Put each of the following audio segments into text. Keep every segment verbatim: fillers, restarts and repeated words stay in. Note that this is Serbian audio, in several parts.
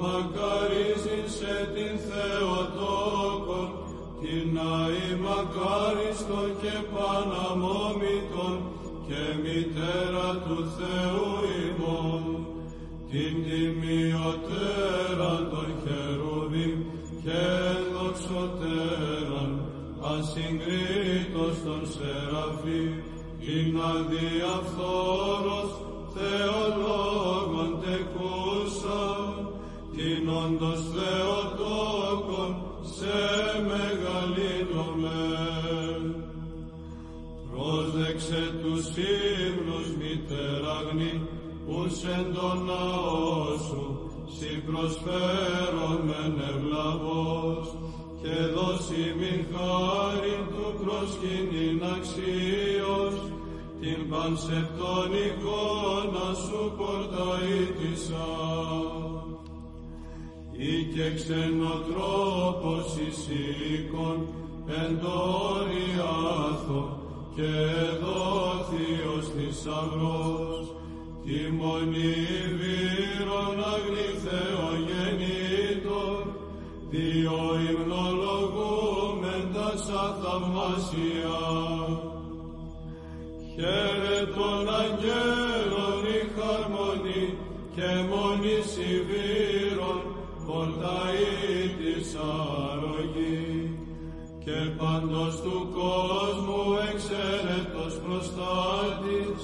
Μακαρίζειν σε την Θεοτόκον, την αη μακάριστον και παναμόμητον και μητέρα του Θεού ημών, την τιμιωτέραν των χερουβίμ και δοξωτέραν, ασυγκρίτως των σεραφείμ, την αδιαφθόρος Θεολόγων τεκούσα, την όντως Θεοτόκον σε μεγαλύνομαι. Πρόσδεξε τους ύμνους μητεραγνή, ους εν τον ναό σου, σοι προσφέρομεν ευλαβώς, και δώσει μην χάριν του προσκυνήν αξίως, την πανσεπτόν εικόνα σου πορταΐτησα. Ή και ξενοτρόπος εις οίκον εν το όριάθο και δόθιος θησαυρός, τη μονή βύρων αγνηθεογεννήτων, δύο υμνολογούμεν τάσα θαυμάσια. Χαίρε των αγγέλων η χαρμονή και μονής ηβύρων πορταΐτης αρρωγή, και παντός του κόσμου εξαίρετος προστάτης,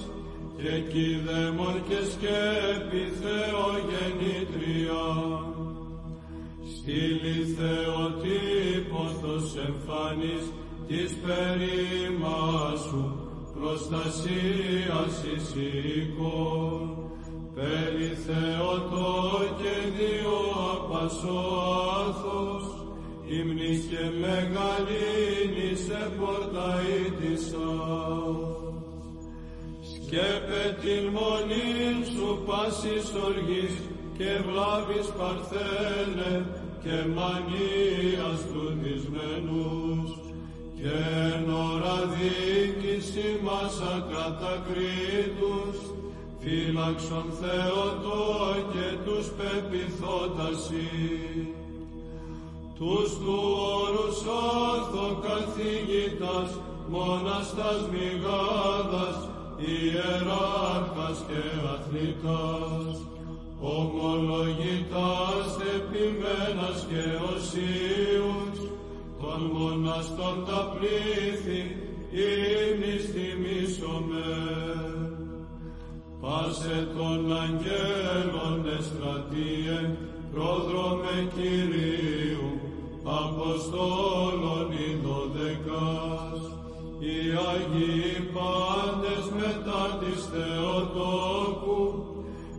και κηδαίμων και σκέπη Θεογεννήτρια. Στείλει Θεοτύπωθος εμφανής της περίμασου, προστασίας εις οίκων, περί Θεοτό και Διό απασόαθος, ύμνης και μεγαλύνης επορταΐτησα. Σκέπε την μονήν σου πάσης οργής και βλάβης παρθένε και μανίας του δυσμενούς, και εν ώρα δίκης ημάς ακατακρίτους, φύλαξον Θεοτό και τους πεπιθότασι. Τους του όρους όρθο καθηγητάς, μοναστάς μηγάδας, ιεράρχας και αθλητάς, ομολογητάς επιμένας και οσίους, των μοναστών τα πλήθη ύμνης θυμίσομε. Πάσε των αγγέλων εστρατείε, πρόδρομε Κυρίου, Αποστόλων οι δωδεκάς, οι Άγιοι πάντες μετά της Θεοτόκου,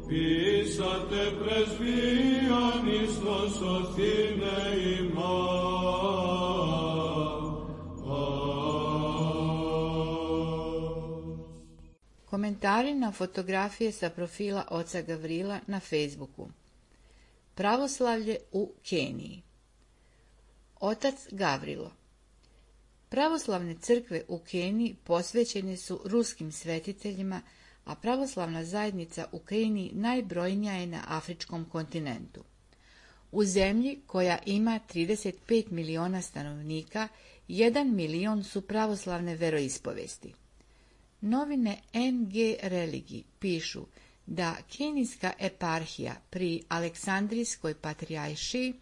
ποιήσατε πρεσβείαν εις τον σωθήνε ημάς. Komentari na fotografije sa profila oca Gavrila na Facebooku. Pravoslavlje u Keniji. Otac Gavrilo. Pravoslavne crkve u Keniji posvećene su ruskim svetiteljima, a pravoslavna zajednica u Keniji najbrojnija je na afričkom kontinentu. U zemlji koja ima trideset pet miliona stanovnika, jedan milion su pravoslavne veroispovesti. Novine N G Religi pišu da kenijska eparhija pri Aleksandrijskoj patrijaršiji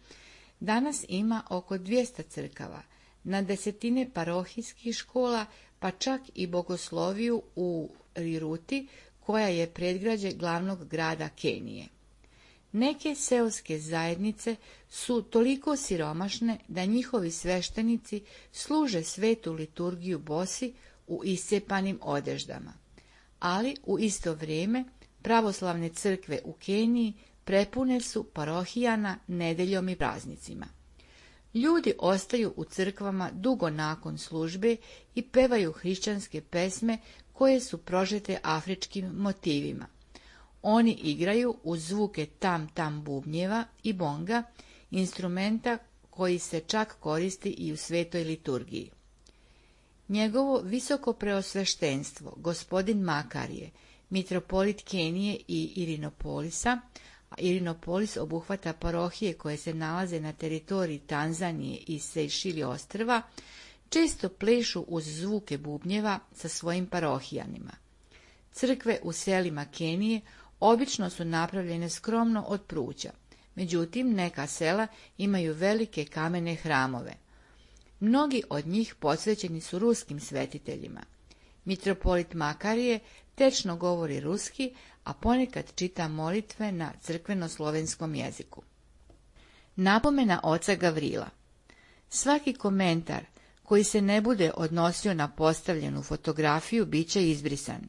danas ima oko dvjesto crkava, na desetine parohijskih škola, pa čak i bogosloviju u Riruti, koja je predgrađe glavnog grada Kenije. Neke seoske zajednice su toliko siromašne da njihovi sveštenici služe svetu liturgiju bosi u iscepanim odeždama, ali u isto vrijeme pravoslavne crkve u Keniji prepune su parohijana nedeljom i praznicima. Ljudi ostaju u crkvama dugo nakon službe i pevaju hrišćanske pesme koje su prožete afričkim motivima. Oni igraju uz zvuke tam-tam bubnjeva i bonga, instrumenta koji se čak koristi i u svetoj liturgiji. Njegovo visoko preosveštenstvo, gospodin Makarije, mitropolit Kenije i Irinopolisa. Irinopolis obuhvata parohije koje se nalaze na teritoriji Tanzanije i Sejšili ostrva, često plešu uz zvuke bubnjeva sa svojim parohijanima. Crkve u selima Kenije obično su napravljene skromno od pruća, međutim neka sela imaju velike kamene hramove. Mnogi od njih posvećeni su ruskim svetiteljima. Mitropolit Makarije tečno govori ruski, a ponekad čita molitve na crkveno-slovenskom jeziku. Napomena oca Gavrila. Svaki komentar koji se ne bude odnosio na postavljenu fotografiju bit će izbrisan.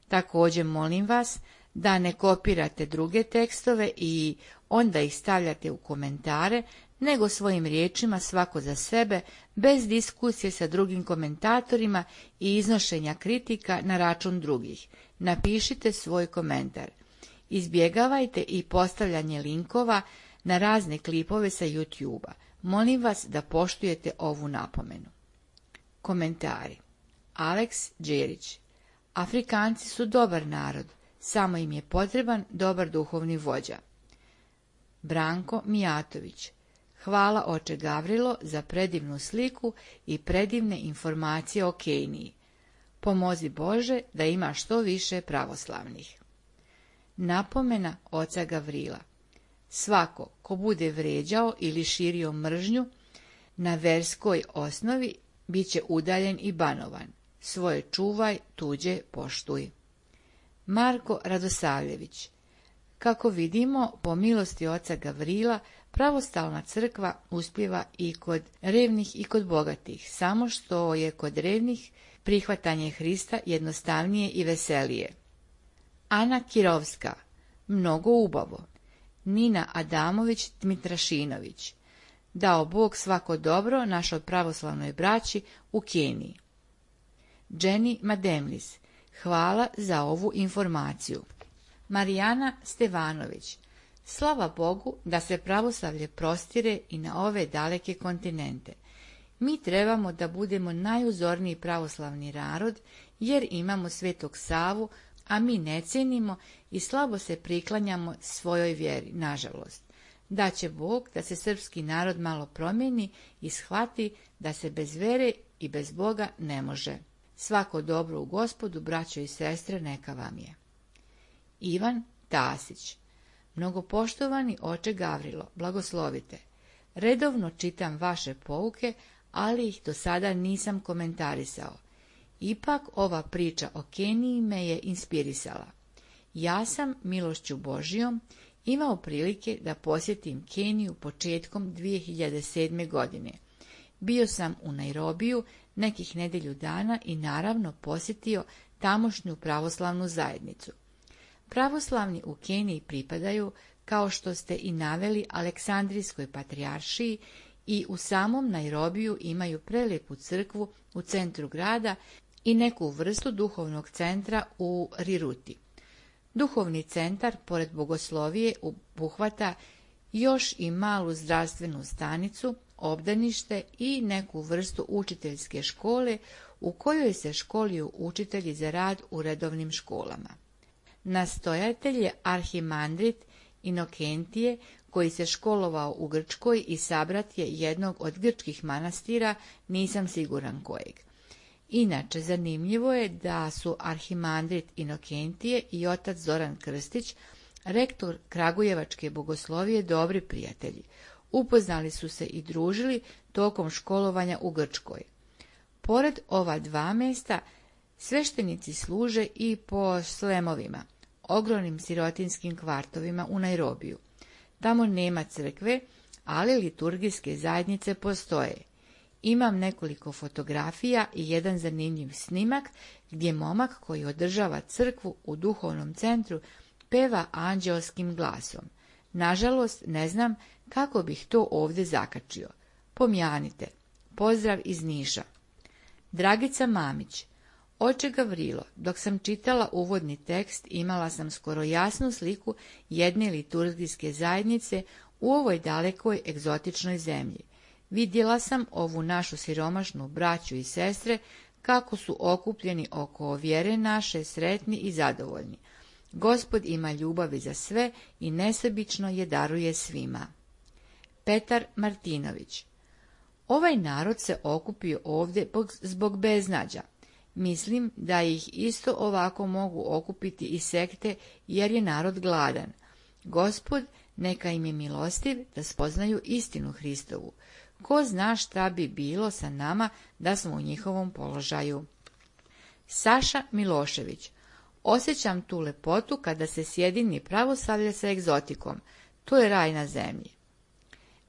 Također molim vas da ne kopirate druge tekstove i onda ih stavljate u komentare, nego svojim riječima svako za sebe, bez diskusije sa drugim komentatorima i iznošenja kritika na račun drugih. Napišite svoj komentar. Izbjegavajte i postavljanje linkova na razne klipove sa YouTube-a. Molim vas da poštujete ovu napomenu. Komentari. Aleks Đerić. Afrikanci su dobar narod, samo im je potreban dobar duhovni vođa. Branko Mijatović. Hvala oče Gavrilo za predivnu sliku i predivne informacije o Keniji. Pomozi Bože da ima što više pravoslavnih. Napomena oca Gavrila. Svako ko bude vređao ili širio mržnju na verskoj osnovi bit će udaljen i banovan. Svoje čuvaj, tuđe poštuj. Marko Radosavljević. Kako vidimo, po milosti oca Gavrila, pravoslavna crkva uspijeva i kod revnih i kod bogatih, samo što je kod revnih prihvatanje Hrista jednostavnije i veselije. Ana Kirovska. Mnogo ubavo. Nina Adamović Dmitrašinović. Dao Bog svako dobro našoj pravoslavnoj braći u Keniji. Jenny Mademlis. Hvala za ovu informaciju. Marijana Stevanović. Slava Bogu da se pravoslavlje prostire i na ove daleke kontinente. Mi trebamo da budemo najuzorniji pravoslavni narod, jer imamo Svetog Savu, a mi ne cijenimo i slabo se priklanjamo svojoj vjeri, nažalost. Da će Bog da se srpski narod malo promijeni i shvati da se bez vere i bez Boga ne može. Svako dobro u Gospodu, braćo i sestre, neka vam je. Ivan Tasić. Mnogopoštovani oče Gavrilo, blagoslovite. Redovno čitam vaše pouke, ali ih do sada nisam komentarisao. Ipak ova priča o Keniji me je inspirisala. Ja sam, milošću Božijom, imao prilike da posjetim Keniju početkom dvije hiljade sedme. godine. Bio sam u Nairobiju nekih nedjelju dana i naravno posjetio tamošnju pravoslavnu zajednicu. Pravoslavni u Keniji pripadaju, kao što ste i naveli, Aleksandrijskoj patrijaršiji i u samom Nairobiju imaju prelijepu crkvu u centru grada i neku vrstu duhovnog centra u Riruti. Duhovni centar, pored bogoslovije, obuhvata još i malu zdravstvenu stanicu, obdanište i neku vrstu učiteljske škole u kojoj se školuju učitelji za rad u redovnim školama. Nastojatelj je arhimandrit Inokentije, koji se školovao u Grčkoj i sabrat je jednog od grčkih manastira, nisam siguran kojeg. Inače, zanimljivo je da su arhimandrit Inokentije i otac Zoran Krstić, rektor Kragujevačke bogoslovije, dobri prijatelji. Upoznali su se i družili tokom školovanja u Grčkoj. Pored ova dva mjesta, sveštenici služe i po slemovima, ogromnim sirotinskim kvartovima u Nairobiju. Tamo nema crkve, ali liturgijske zajednice postoje. Imam nekoliko fotografija i jedan zanimljiv snimak gdje momak koji održava crkvu u duhovnom centru peva anđelskim glasom. Nažalost, ne znam kako bih to ovdje zakačio. Pomjanite. Pozdrav iz Niša. Dragica Mamić. Oče Gavrilo, dok sam čitala uvodni tekst, imala sam skoro jasnu sliku jedne liturgijske zajednice u ovoj dalekoj egzotičnoj zemlji. Vidjela sam ovu našu siromašnu braću i sestre kako su okupljeni oko vjere naše, sretni i zadovoljni. Gospod ima ljubavi za sve i nesebično je daruje svima. Petar Martinović. Ovaj narod se okupio ovdje zbog beznađa. Mislim da ih isto ovako mogu okupiti i sekte, jer je narod gladan. Gospod neka im je milostiv da spoznaju istinu Hristovu. Ko zna šta bi bilo sa nama da smo u njihovom položaju. Saša Milošević. Osjećam tu lepotu kada se sjedini pravoslavlje sa egzotikom. To je raj na zemlji.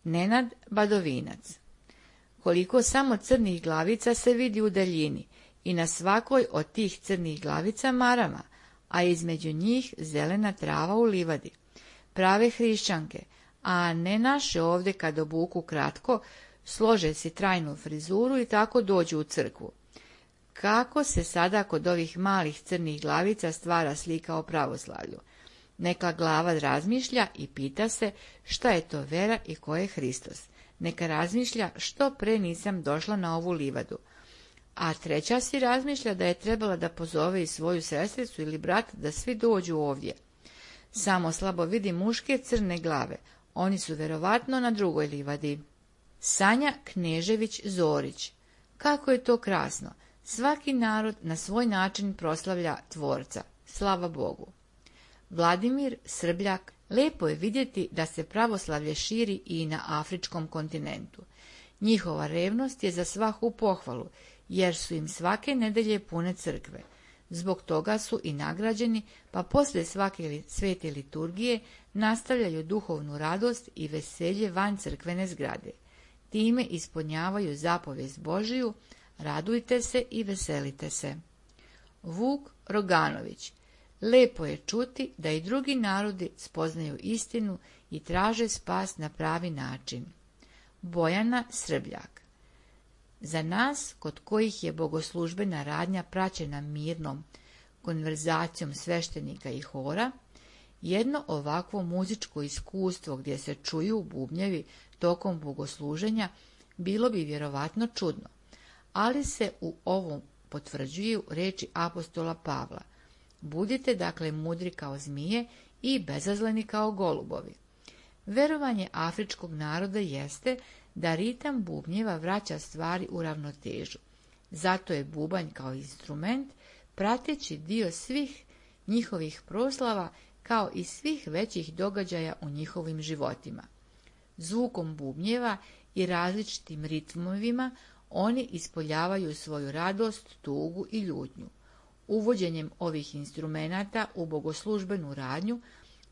Nenad Badovinac. Koliko samo crnih glavica se vidi u daljini i na svakoj od tih crnih glavica marama, a između njih zelena trava u livadi. Prave hrišćanke, a ne naše ovdje kad obuku kratko, slože si trajnu frizuru i tako dođu u crkvu. Kako se sada kod ovih malih crnih glavica stvara slika o pravoslavlju? Neka glava razmišlja i pita se šta je to vera i ko je Hristos. Neka razmišlja što pre nisam došla na ovu livadu. A treća si razmišlja da je trebala da pozove i svoju sestricu ili brata da svi dođu ovdje. Samo slabo vidi muške crne glave, oni su verovatno na drugoj livadi. Sanja Knežević Zorić. Kako je to krasno! Svaki narod na svoj način proslavlja Tvorca. Slava Bogu. Vladimir Srbljak. Lepo je vidjeti da se pravoslavlje širi i na afričkom kontinentu. Njihova revnost je za svaku pohvalu, jer su im svake nedelje pune crkve. Zbog toga su i nagrađeni, pa poslije svake svete liturgije nastavljaju duhovnu radost i veselje van crkvene zgrade. Time ispunjavaju zapovijest Božiju, radujte se i veselite se. Vuk Roganović. Lepo je čuti da i drugi narodi spoznaju istinu i traže spas na pravi način. Bojana Srbljak. Za nas, kod kojih je bogoslužbena radnja praćena mirnom konverzacijom sveštenika i hora, jedno ovakvo muzičko iskustvo gdje se čuju bubnjevi tokom bogosluženja bilo bi vjerovatno čudno, ali se u ovom potvrđuju riječi apostola Pavla. Budite dakle mudri kao zmije i bezazleni kao golubovi. Verovanje afričkog naroda jeste da ritam bubnjeva vraća stvari u ravnotežu. Zato je bubanj kao instrument prateći dio svih njihovih proslava kao i svih većih događaja u njihovim životima. Zvukom bubnjeva i različitim ritmovima oni ispoljavaju svoju radost, tugu i ljutnju. Uvođenjem ovih instrumenata u bogoslužbenu radnju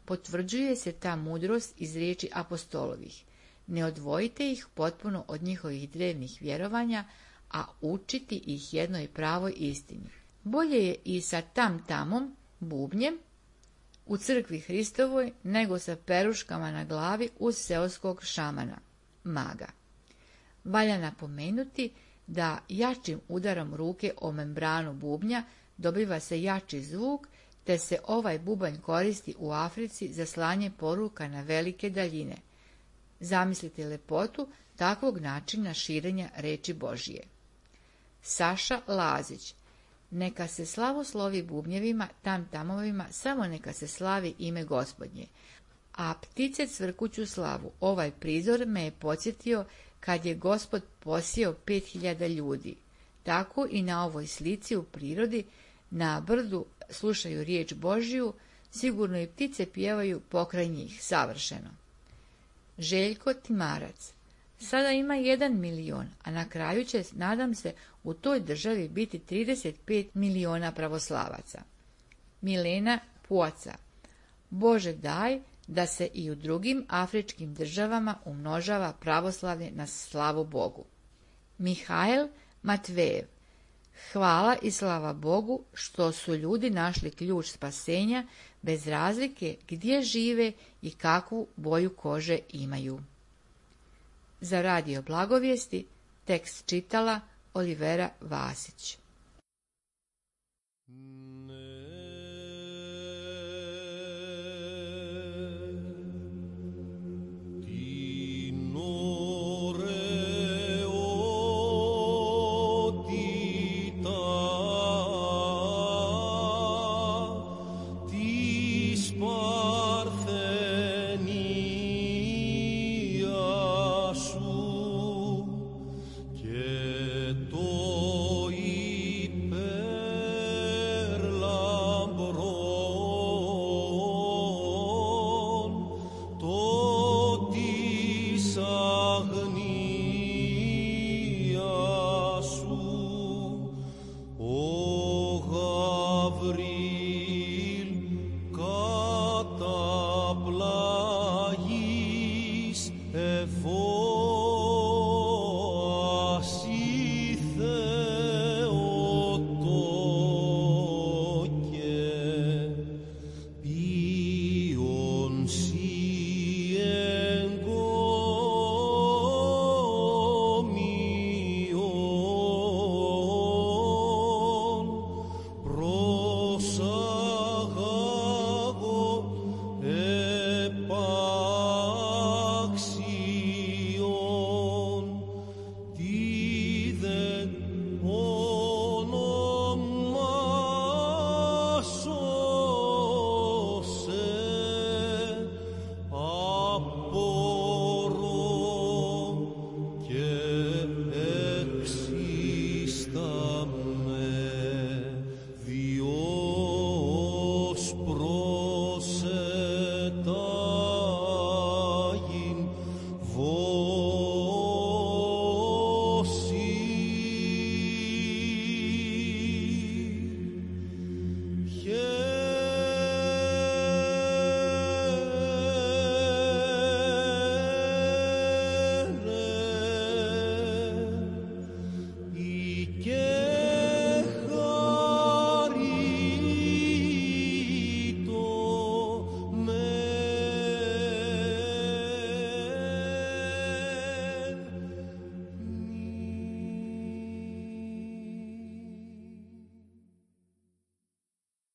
potvrđuje se ta mudrost iz riječi apostolovih. Ne odvojite ih potpuno od njihovih drevnih vjerovanja, a učiti ih jednoj pravoj istini. Bolje je i sa tam-tamom, bubnjem, u crkvi Hristovoj, nego sa peruškama na glavi uz seoskog šamana, maga. Valja napomenuti da jačim udarom ruke o membranu bubnja dobiva se jači zvuk, te se ovaj bubanj koristi u Africi za slanje poruka na velike daljine. Zamislite lepotu takvog načina širenja reči Božije. Saša Lazić. Neka se slavoslovi bubnjevima, tam-tamovima, samo neka se slavi ime Gospodnje. A ptice cvrkuću slavu. Ovaj prizor me je podsjetio kad je Gospod posijao pet hiljada ljudi. Tako i na ovoj slici u prirodi, na brdu slušaju riječ Božiju, sigurno i ptice pjevaju pokraj njih, savršeno. Željko Timarac. Sada ima jedan milion, a na kraju će, nadam se, u toj državi biti trideset pet miliona pravoslavaca. Milena Puaca. Bože daj da se i u drugim afričkim državama umnožava pravoslavlje na slavu Bogu. Mihael Matvejev. Hvala i slava Bogu što su ljudi našli ključ spasenja bez razlike gdje žive i kakvu boju kože imaju. Za radio Blagovijesti tekst čitala Olivera Vasić.